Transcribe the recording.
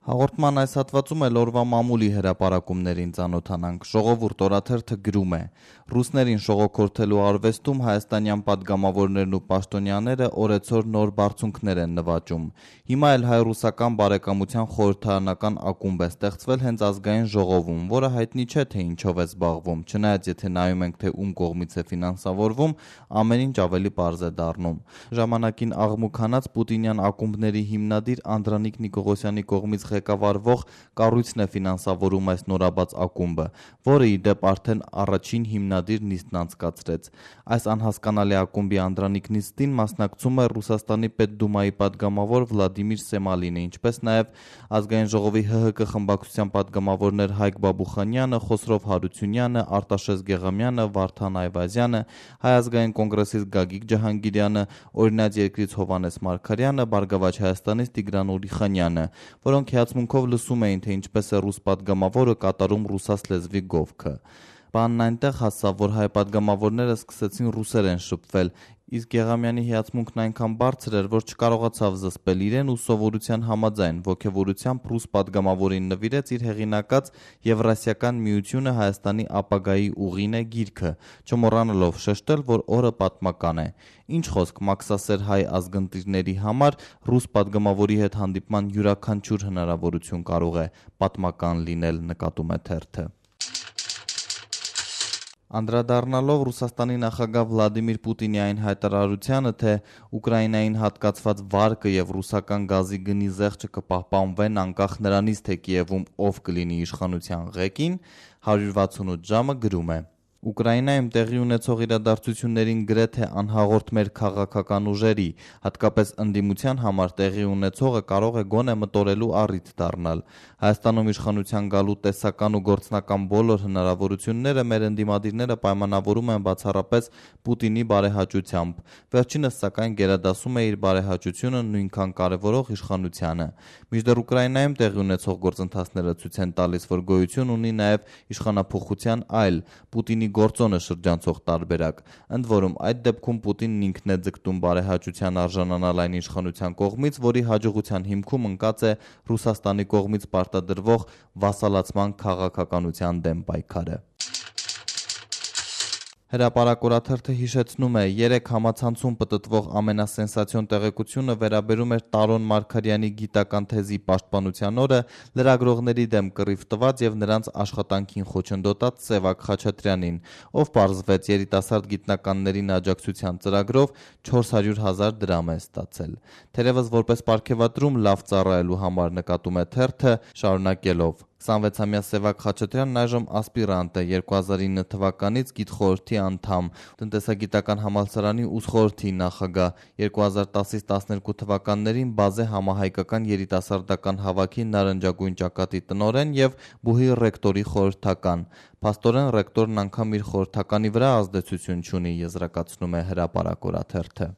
Հաղորդման այս հատվածում էլ օրվա մամուլի հրապարակումներին ծանոթանանք։ Ժողովուրդ օրաթերթը գրում է. Ռուսներին շողոքորթելու արվեստում հայաստանյան падգամավորներն ու պաշտոնյաները օրեցօր նոր բարձունքներ են նվաճում։ Հիմա էլ հայ-ռուսական բարեկամության խորհրդարանական ակումբ է ստեղծվել հենց ազգային ժողովում, որը հայտնի չէ թե ինչով է զբաղվում, չնայած եթե նայում ենք թե ում կողմից է ֆինանսավորվում, ամեն ինչ ավելի պարզ է դառնում։ Ժամանակին աղմուկ հանած պուտինյան ակումբների հիմնադիր Անդրանիկ Նիկողոսյանի կողմից ղեկավարվող կառույցն է ֆինանսավորում այս նորաբաց ակումբը, որը ի դեպ արդեն առաջին հիմնադիր նիստն անցկացրեց։ Այս անհասկանալի ակումբի անդրանիկ նիստին մասնակցում է Ռուսաստանի Պետդումայի падգամավոր Վլադիմիր Սեմալինը, ինչպես նաև ազգային ժողովի ՀՀԿ խմբակցության падգամավորներ Հայկ Բաբուխանյանը, Խոսրով Հարությունյանը, Արտաշես Գեղամյանը, Վարդան Այվազյանը, Հայ ազգային կոնգրեսից Գագիկ Ջահանգիրյանը, Օրինաց երկրից Հովհաննես Մարգարյանը, Բարգավաճ Հայաստանից Տիգրան Ուրիխանյանը, որոնք հիացմունքով լսում էին, թե ինչպես է ռուս падգամավորը կատարում ռուսաց լեզվի գովքը։ Բանն այնտեղ հասավ, որ հայ падգամավորները սկսեցին ռուսերեն շփվել, իսկ Գեղամյանի հիացմունքն այնքան բարձր էր, որ չկարողացավ զսպել իրեն ու սովորության համաձայն ոգևորությամբ ռուս падգամավորին նվիրեց իր հեղինակած Եվրասիական միությունը Հայաստանի ապագայի ուղին է գիրքը, չմոռանալով շեշտել, որ օրը պատմական է։ Ինչ խոսք, մաքսասեր հայ ազգընտիրների համար ռուս падգամավորի հետ հանդիպման յուրաքանչյուր հնարավորություն կարող է պատմական լինել, նկատում է թերթը։ Անդրադառնալով Ռուսաստանի նախագահ Վլադիմիր Պուտինի այն հայտարարությանը, թե Ուկրաինային հատկացված վարկը եւ ռուսական գազի գնի զեղչը կպահպանվեն անկախ նրանից, թե Կիևում ով կլինի իշխանության ղեկին, 168 ժամը գրում է. Ուկրաինայում տեղի ունեցող իրադարձություններին գրեթե անհաղորդ մեր քաղաքական ուժերի, հատկապես ընդդիմության համար տեղի ունեցողը կարող է գոնե մտորելու առիթ դառնալ։ Հայաստանում իշխանության գալու տեսական ու գործնական բոլոր հնարավորությունները մեր ընդդիմադիրները պայմանավորում են բացառապես Պուտինի բարեհաճությամբ։ Վերջինս սակայն գերադասում է իր բարեհաճությունը նույնքան կարևորող իշխանությանը։ Մինչդեռ Ուկրաինայում տեղի ունեցող գործընթացները ցույց են տալիս, որ գոյություն ունի նաև իշխանափոխության այլ Պուտինի գործոնը շրջանցող տարբերակ, ընդ որում այդ դեպքում Պուտինն ինքն է ձգտում բարեհաճության արժանանալ այն իշխանության կողմից, որի հաջողության հիմքում ընկած է Ռուսաստանի կողմից պարտադրվող վասալացման քաղաքականության դեմ պայքարը։ Հրապարակ օրաթերթը հիշեցնում է, 3 համացանցում պտտվող ամենասենսացիոն տեղեկությունը վերաբերում էր Տարոն Մարգարյանի գիտական թեզի պաշտպանության օրը լրագրողների դեմ կռիվ տված եւ նրանց աշխատանքին խոչընդոտած Սևակ Խաչատրյանին, ով պարզվեց երիտասարդ գիտնականներին աջակցության ծրագրով 400,000 դրամ է ստացել։ Թերևս որպես պարգևատրում լավ ծառայելու համար, նկատում է թերթը, շարունակելով. 26-ամյա Սևակ Խաչատրյանն այժմ ասպիրանտ է, 2009 թվականից գիտխորհրդի անդամ, տնտեսագիտական համալսարանի ուսխորհրդի նախագահ, 2010-ից 12 թվականներին բազե համահայկական երիտասարդական հավաքի նարնջագույն ճակատի տնօրեն եւ բուհի ռեկտորի խորհրդական։ Փաստորեն ռեկտորն անգամ իր խորհրդականի վրա ազդեցություն չունի, եզրակացնում է Հրապարակ օրաթերթը։